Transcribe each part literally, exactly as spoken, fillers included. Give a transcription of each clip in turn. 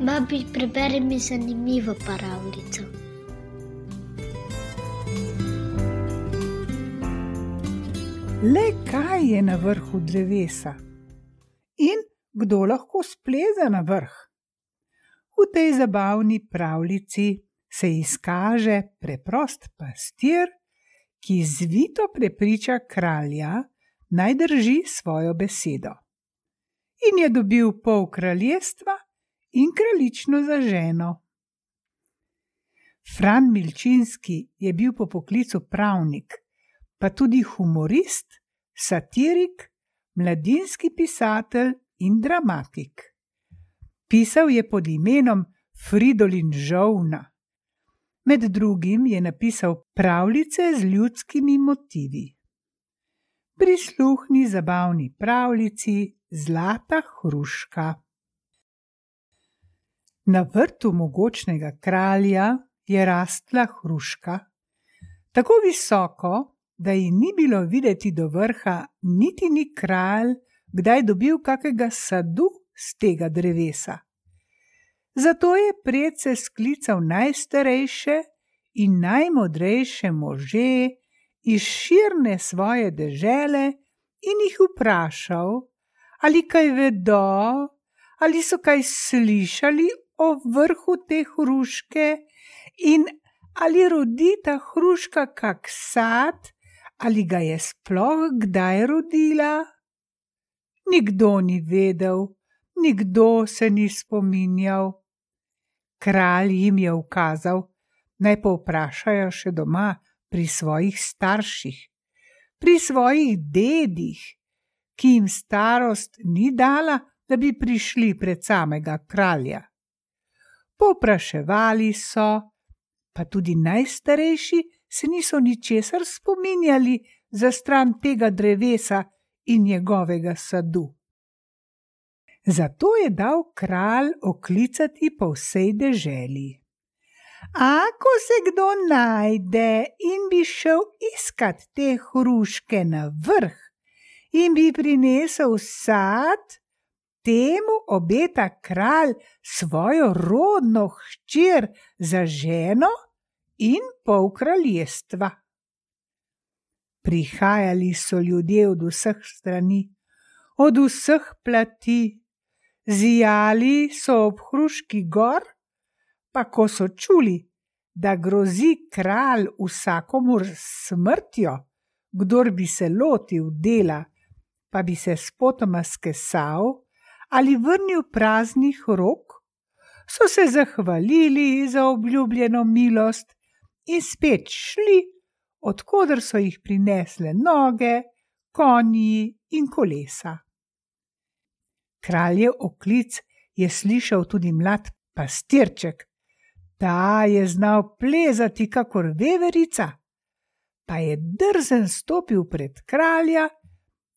Babi, preberi mi zanimivo pravljico. Le kaj je na vrhu drevesa? In kdo lahko spleze na vrh? V tej zabavni pravljici se izkaže preprost pastir, ki zvito prepriča kralja, naj drži svojo besedo. In je dobil pol kraljestva in kraljično za ženo. Fran Milčinski je bil po poklicu pravnik, pa tudi humorist, satirik, mladinski pisatelj in dramatik. Pisal je pod imenom Fridolin Žolna. Med drugim je napisal pravljice z ljudskimi motivi. Prisluhni zabavni pravljici Zlata hruška. Na vrtu mogočnega kralja je rastla hruška, tako visoko, da ji ni bilo videti do vrha, niti ni kralj kdaj dobil kakega sadu z tega drevesa. Zato je predse sklical najstarejše in najmodrejše može iz širne svoje dežele in jih vprašal, ali kaj vedo, ali so kaj slišali o vrhu te hruške in ali rodi ta hruška kak sad, ali ga je sploh kdaj rodila. Nikdo ni vedel, nikdo se ni spominjal. Kralj jim je ukazal, naj povprašajo še doma pri svojih starših, pri svojih dedih, ki jim starost ni dala, da bi prišli pred samega kralja. Povpraševali so, pa tudi najstarejši se niso ničesar spominjali za stran tega drevesa in njegovega sadu. Zato je dal kralj oklicati po vsej deželi. Ako se kdo najde in bi šel iskat te hruške na vrh in bi prinesel sad, temu obeta kralj svojo rodno hčer za ženo in pol kraljestva. Prihajali so ljudje od vseh strani, od vseh plati, zijali so ob hruški gor, pa ko so čuli, da grozi kralj vsakomur s smrtjo, kdor bi se lotil dela, pa bi se spotoma skesal ali vrnil praznih rok, so se zahvalili za obljubljeno milost in spet šli, od koder so jih prinesle noge, konji in kolesa. Kraljev oklic je slišal tudi mlad pastirček. Ta je znal plezati kakor veverica, pa je drzen stopil pred kralja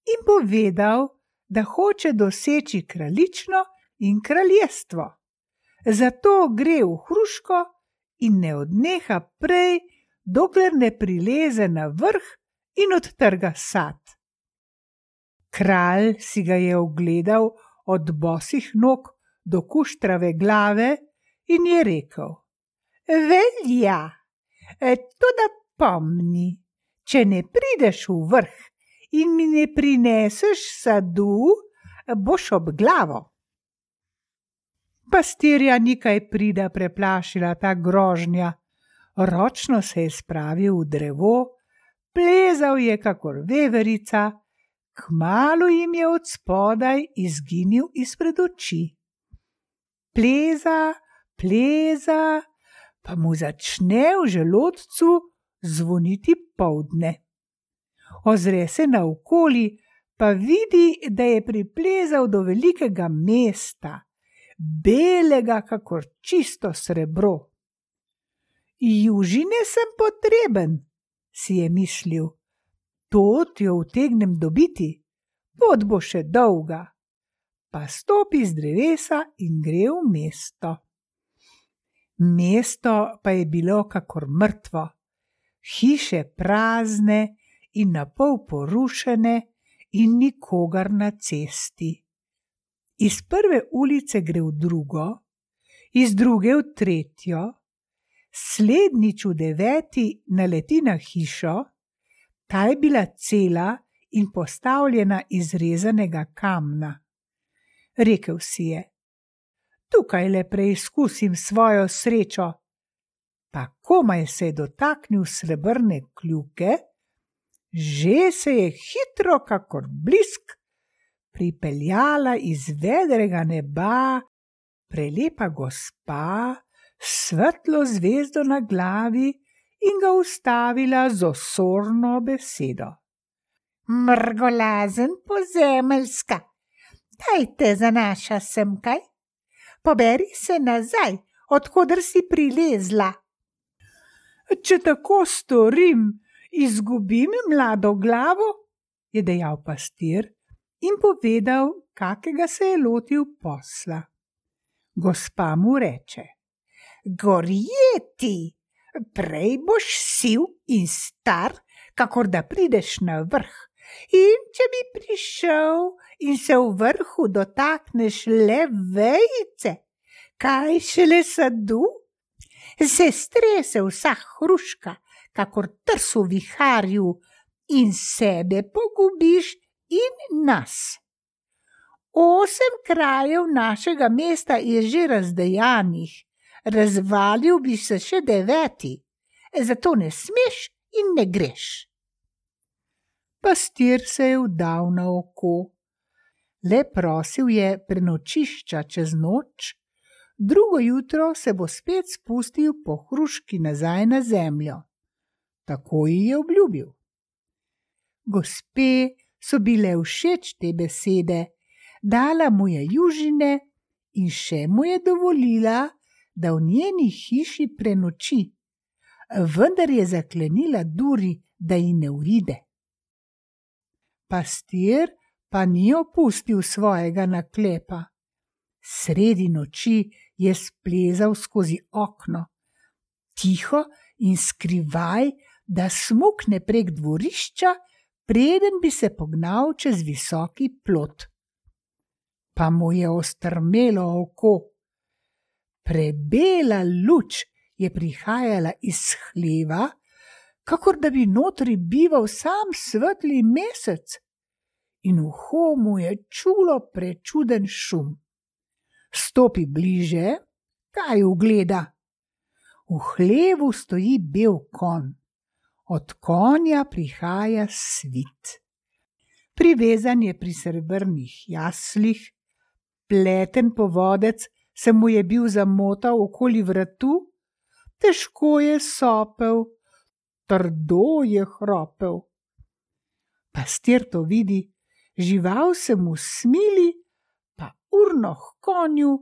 in povedal, da hoče doseči kraljično in kraljestvo. Zato gre v hruško in ne odneha prej, dokler ne prileze na vrh in odtrga sad. Kralj si ga je ogledal od bosih nog do kuštrave glave in je rekel: Velja, toda pomni, če ne prideš v vrh in mi ne prineseš sadu, boš ob glavo. Pastirja ni kaj prida preplašila ta grožnja. Ročno se je spravil v drevo, plezal je kakor veverica, kmalu jim je od spodaj izginil izpred oči. Pleza, pleza, pa mu začne v želodcu zvoniti poldne. Ozre se naokoli, pa vidi, da je priplezal do velikega mesta, belega kakor čisto srebro. Južine sem potreben, si je mislil, tod jo utegnem dobiti, pot bo še dolga. Pa stopi z drevesa in gre v mesto. Mesto pa je bilo kakor mrtvo, hiše prazne in napol porušene in nikogar na cesti. Iz prve ulice gre v drugo Iz druge v tretjo, slednjič v deveti naleti na hišo, ta je bila cela in postavljena iz rezanega kamna. Rekel si je: tukaj le preizkusim svojo srečo. Pa komaj se je dotaknil srebrne kljuke, že se je hitro kakor blisk pripeljala iz vedrega neba prelepa gospa s svetlo zvezdo na glavi in ga ustavila z osorno besedo. Mrgolazen pozemeljska, daj te zanaša sem kaj? Poberi se nazaj, odkoder si prilezla. Če tako storim, izgubim mlado glavo, je dejal pastir in povedal, kakega se je lotil posla. Gospa mu reče: gorje ti, prej boš siv in star, kakor da prideš na vrh. In če bi prišel in se v vrhu dotakneš le vejice, kaj šele sadu, se strese vsa hruška, kakor trs v viharju, in sebe pogubiš in nas. Osem krajev našega mesta je že razdejanih, razvalil bi se še deveti, zato ne smeš in ne greš. Pastir se je vdal na oko. Le prosil je prenočišča čez noč, drugo jutro se bo spet spustil po hruški nazaj na zemljo. Tako ji je obljubil. Gospe so bile všeč te besede, dala mu je južine in še mu je dovolila, da v njeni hiši prenoči, vendar je zaklenila duri, da ji ne uide. Pastir pa ni opustil svojega naklepa. Sredi noči je splezal skozi okno, tiho in skrivaj, da smukne prek dvorišča, preden bi se pognal čez visoki plot. Pa mu je ostrmelo oko. Prebela luč je prihajala iz hleva, kakor da bi notri bival sam svetli mesec, in uho mu je čulo prečuden šum. Stopi bliže, kaj ugleda? V hlevu stoji bel konj. Od konja prihaja svit. Privezan je pri srebrnih jaslih, pleten povodec se mu je bil zamotal okoli vratu, težko je sopel, trdo je hropel. Pastir to vidi, žival se mu smili, pa urno h konju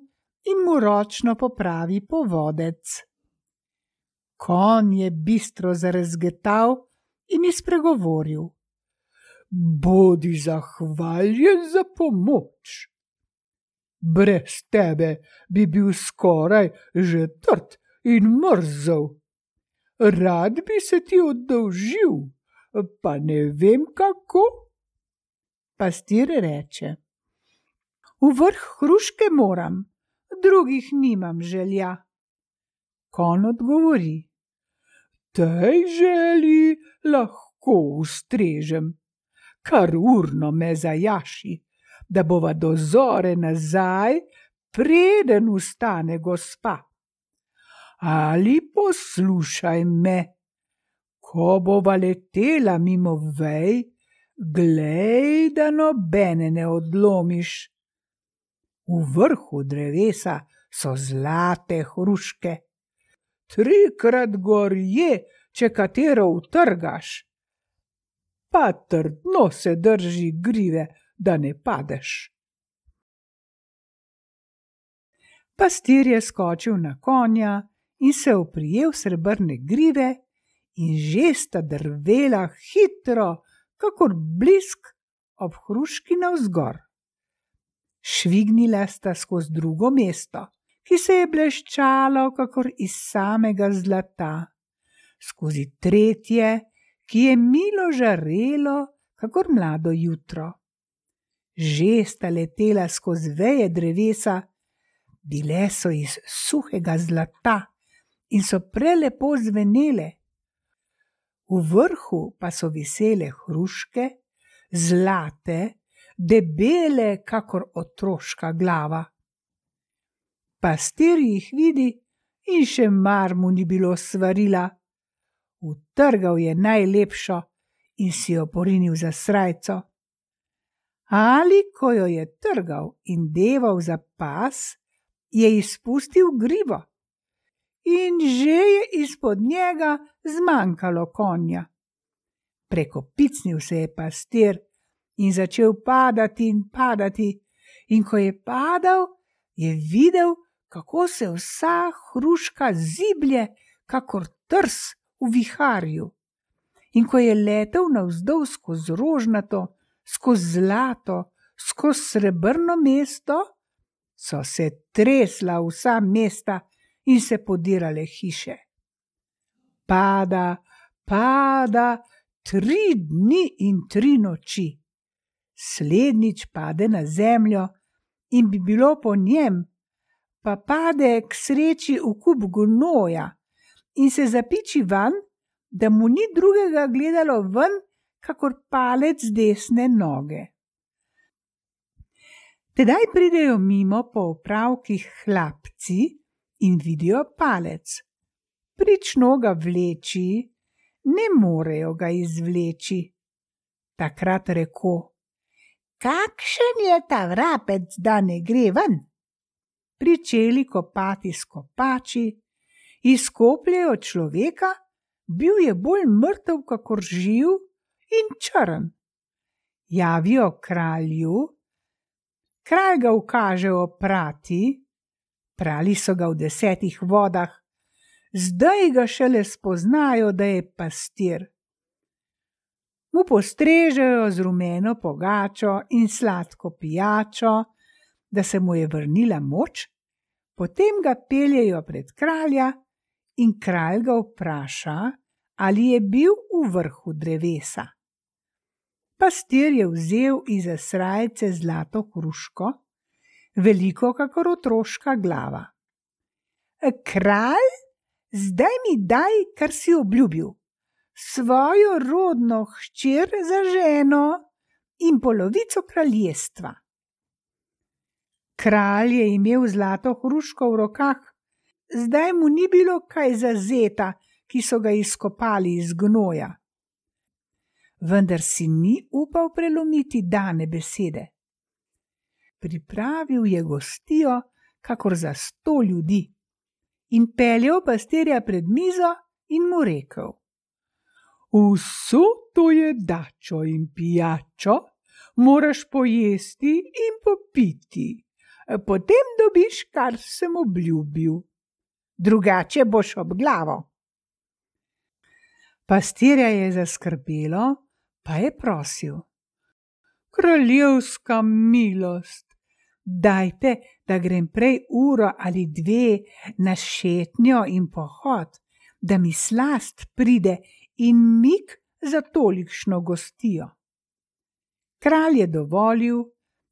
in mu ročno popravi povodec. Konj je bistro zarezgetal in izpregovoril: bodi zahvaljen za pomoč. Brez tebe bi bil skoraj že trd in mrzel. Rad bi se ti oddolžil, pa ne vem kako. Pastir reče: v vrh hruške moram, drugih nimam želja. Konj odgovori: tej želji lahko ustrežem, kar urno me zajaši, da bova do zore nazaj, preden vstane gospa. Ali poslušaj me, ko bova letela mimo vej, glej, da nobene ne odlomiš. V vrhu drevesa so zlate hruške. Trikrat gorje, če katero utrgaš, pa trdno se drži grive, da ne padeš. Pastir je skočil na konja in se oprijel srebrne grive in že sta drvela hitro, kakor blisk ob hruški navzgor. Švignila sta skozi drugo mesto, ki se je bleščalo kakor iz samega zlata, skozi tretje, ki je milo žarelo kakor mlado jutro. Že sta letela skozi veje drevesa, Bile so iz suhega zlata in so prelepo zvenele. V vrhu pa so visele hruške, zlate, debele kakor otroška glava. Pastir jih vidi in še mar mu ni bilo svarila. Utrgal je najlepšo in si jo porinil za srajco. Ali ko jo je trgal in deval za pas, je izpustil grivo in že je izpod njega zmanjkalo konja. Prekopicnil se je pastir in začel padati in padati, in ko je padal, je videl, kako se vsa hruška ziblje kakor trs v viharju. In ko je letel navzdol skozi rožnato, skozi zlato, skozi srebrno mesto, so se tresla vsa mesta in se podirale hiše. Pada, pada, tri dni in tri noči. Slednjič pade na zemljo in bi bilo po njem, pa pade k sreči v kup gnoja in se zapiči van, da mu ni drugega gledalo ven, kakor palec desne noge. Tedaj pridejo mimo po opravkih hlapci in vidijo palec. Prično ga vleči, ne morejo ga izvleči. Takrat reko: "Kakšen je ta vrapec, da ne gre ven?" Pričeli kopati s kopači, izkopljejo človeka, bil je bolj mrtev kakor živ in črn. Javijo kralju, kralj ga ukaže oprati, prali so ga v desetih vodah, zdaj ga šele spoznajo, da je pastir. Mu postrežejo z rumeno pogačo in sladko pijačo, da se mu je vrnila moč, potem ga peljejo pred kralja in kralj ga vpraša, ali je bil v vrhu drevesa. Pastir je vzel izza srajce zlato hruško, veliko kakor otroška glava. "Kralj, zdaj mi daj, kar si obljubil, svojo rodno hčer za ženo in polovico kraljestva." Kralj je imel zlato hruško v rokah, zdaj mu ni bilo kaj za zeta, ki so ga izkopali iz gnoja. Vendar si ni upal prelomiti dane besede. Pripravil je gostijo, kakor za sto ljudi, in peljal pastirja pred mizo in mu rekel: "Vso to jedačo in pijačo moraš pojesti in popiti, potem dobiš, kar sem obljubil, drugače boš ob glavo." Pastirja je zaskrbelo, pa je prosil: "Kraljevska milost, dajte, da grem prej uro ali dve na šetnjo in pohod, da mi slast pride in mik za tolikšno gostijo." Kralj je dovolil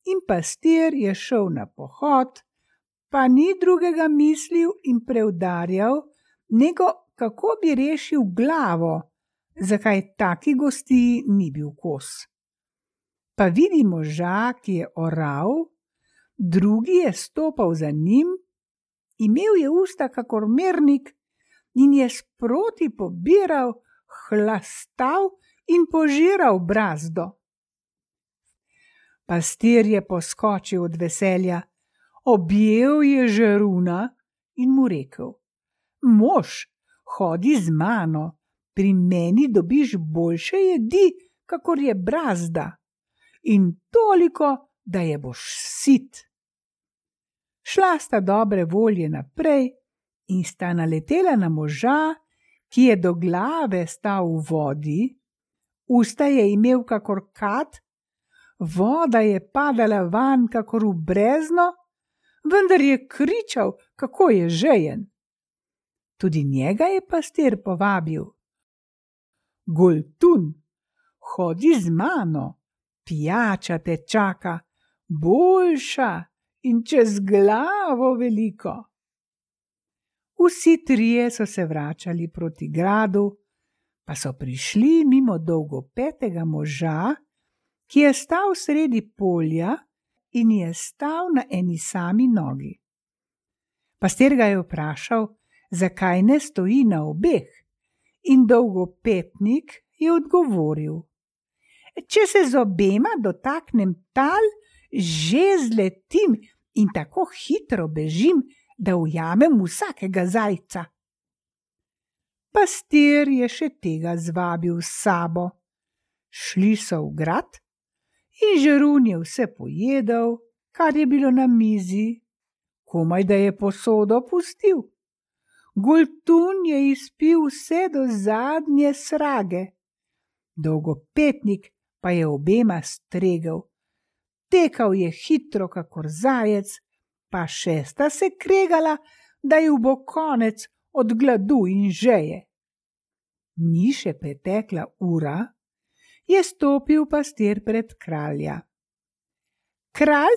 in pastir je šel na pohod, pa ni drugega mislil in preudarjal, nego kako bi rešil glavo, zakaj taki gostiji ni bil kos. Pa vidi moža, ki je oral, drugi je stopal za njim, imel je usta kakor mernik in je sproti pobiral, hlastal in požiral brazdo. Pastir je poskočil od veselja, objel je žeruna in mu rekel: "Mož, hodi z mano, pri meni dobiš boljše jedi, kakor je brazda, in toliko, da je boš sit." Šla sta dobre volje naprej in sta naletela na moža, ki je do glave stal v vodi, usta je imel kakor kad, voda je padala vanj kakor v brezno, vendar je kričal, kako je žejen. Tudi njega je pastir povabil: "Goltun, hodi z mano, pijača te čaka, boljša in čez glavo veliko. Vsi trije so se vračali proti gradu, pa so prišli mimo dolgopetega moža, ki je stal sredi polja in je stal na eni sami nogi. Pastir ga je vprašal, zakaj ne stoji na obeh, in dolgopetnik je odgovoril: Če se z obema dotaknem tal, že zletim in tako hitro bežim, da ujamem vsakega zajca. Pastir je še tega zvabil s sabo. Šli so v grad in žerun je vse pojedel, kar je bilo na mizi, komaj da je posodo pustil. Goltun je izpil vse do zadnje srage. Dolgopetnik pa je obema stregel. Tekal je hitro kakor zajec, pa šesta se kregala, da ju bo konec od gladu in žeje. Ni še pretekla ura, je stopil pastir pred kralja. Kralj,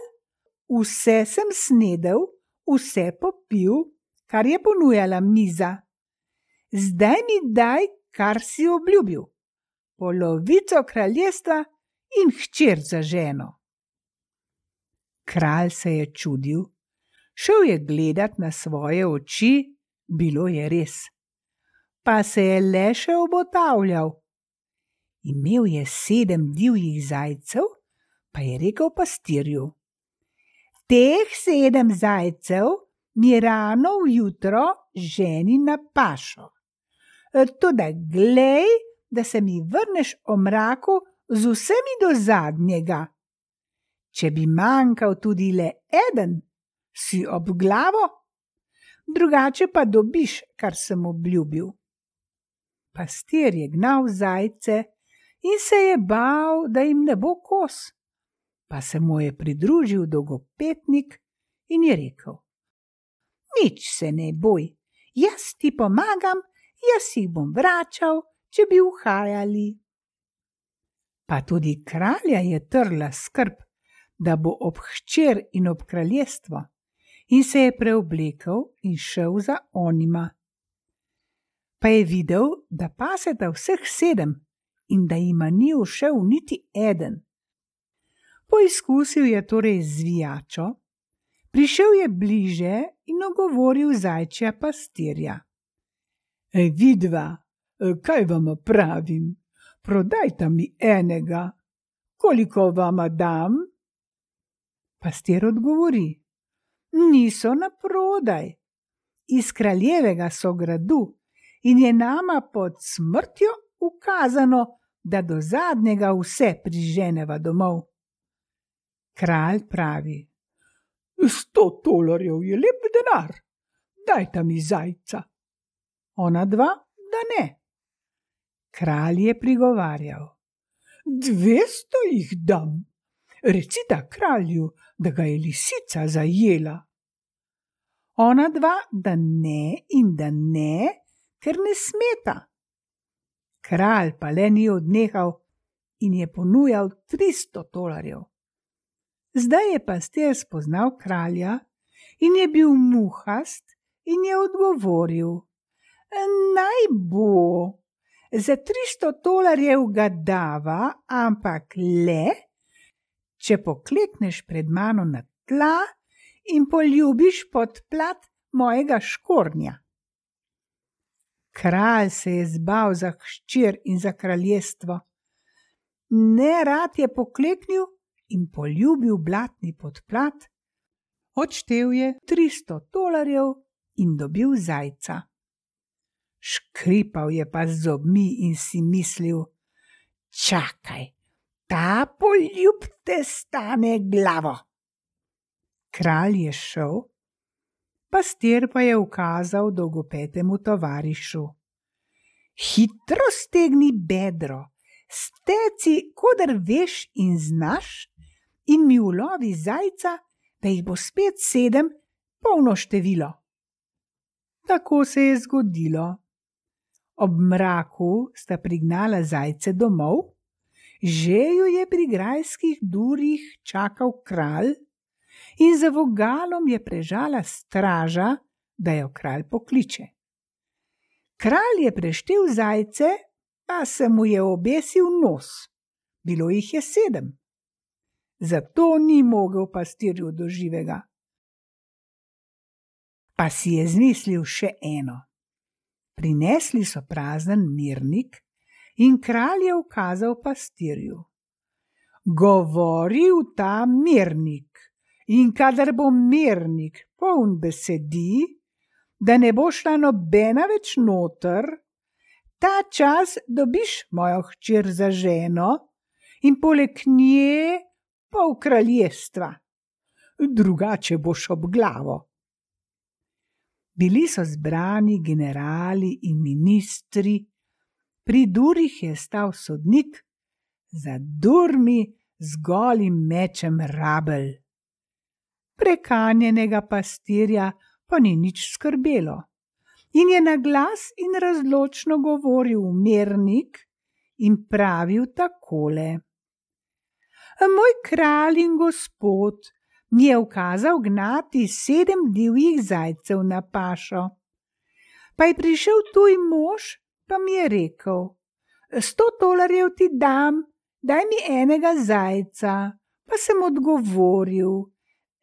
vse sem snedel, vse popil, kar je ponujala miza. Zdaj mi daj, kar si obljubil, polovico kraljestva in hčer za ženo. Kralj se je čudil, šel je gledat na svoje oči, bilo je res. Pa se je le še obotavljal. Imel je sedem divjih zajcev, pa je rekel pastirju: Teh sedem zajcev mi rano vjutro ženi na pašo. Toda glej, da se mi vrneš o mraku z vsemi do zadnjega. Če bi manjkal tudi le eden, si ob glavo, drugače pa dobiš, kar sem obljubil. Pastir je gnal zajce in se je bal, da jim ne bo kos. Pa se mu je pridružil dolgopetnik in je rekel: Nič se ne boj, jaz ti pomagam, jaz jih bom vračal, če bi uhajali. Pa tudi kralja je trla skrb, da bo ob hčer in ob kraljestvo, in se je preoblekel in šel za onima. Pa je videl, da paseta vseh sedem in da jima ni ušel niti eden. Poizkusil je torej zvijačo, prišel je bliže in ogovoril zajčja pastirja. Ej, vidva, kaj vama pravim, prodajta mi enega, koliko vama dam? Pastir odgovori: Niso na prodaj, iz kraljevega so gradu in je nama pod smrtjo ukazano, da do zadnjega vse priženeva domov. Kralj pravi: Sto tolarjev je lep denar, dajta mi zajca. Ona dva, da ne. Kralj je prigovarjal: Dvesto jih dam, recita kralju, da ga je lisica zajela. Ona dva, da ne in da ne, ker ne smeta. Kralj pa le ni odnehal in je ponujal tristo tolarjev. Zdaj je pastir spoznal kralja in je bil muhast in je odgovoril: Naj bo, za tristo tolarjev ga dava, ampak le, če poklekneš pred mano na tla in poljubiš pod plat mojega škornja. Kralj se je zbal za hčer in za kraljestvo. Nerad je pokleknil in poljubil blatni podplat, odštel je tristo tolarjev in dobil zajca. Škripal je pa z zobmi in si mislil: Čakaj, ta poljub te stane glavo. Kralj je šel, pastir pa je ukazal dolgopetemu tovarišu: Hitro stegni bedro, steci, kodar veš in znaš, in mi ulovi zajca, da jih bo spet sedem, polno število. Tako se je zgodilo. Ob mraku sta prignala zajce domov, že ju je pri grajskih durih čakal kralj in za vogalom je prežala straža, da jo kralj pokliče. Kralj je preštel zajce, pa se mu je obesil nos. Bilo jih je sedem. Zato ni mogel pastirju do živega. Pa si je zmislil še eno. Prinesli so prazen mirnik in kralj je ukazal pastirju. Govori v ta mirnik, in kadar bo mirnik poln besedi, da ne bo šla nobena več noter, ta čas dobiš mojo hčer za ženo in poleg nje pol kraljestva. Drugače boš ob glavo. Bili so zbrani generali in ministri, pri durih je stal sodnik, za durmi z golim mečem Rabelj. Prekanjenega pastirja pa ni nič skrbelo in je na glas in razločno govoril v mirnik in pravil takole. Moj kralj in gospod mi je ukazal gnati sedem divjih zajcev na pašo. Pa je prišel tuj mož, pa mi je rekel, sto tolarjev ti dam, daj mi enega zajca. Pa sem odgovoril,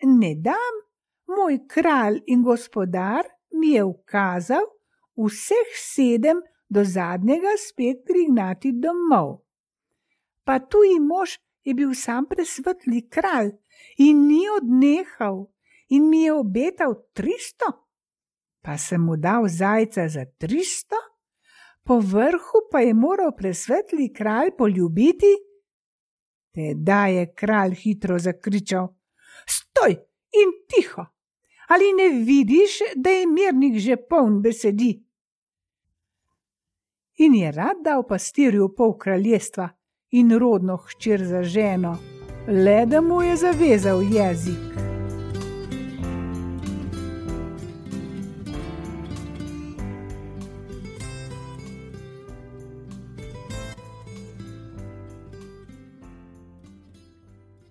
ne dam, moj kralj in gospodar mi je ukazal vseh sedem do zadnjega spet prignati domov. Pa tuji mož je bil sam presvetli kralj in ni odnehal in mi je obetal tristo. Pa sem mu dal zajca za tristo, po vrhu pa je moral presvetli kralj poljubiti. Tedaj je kralj hitro zakričal, stoj in tiho, ali ne vidiš, da je mirnik že poln besedi? In je rad dal pastirju pol kraljestva in rodno hčer za ženo, le da mu je zavezal jezik.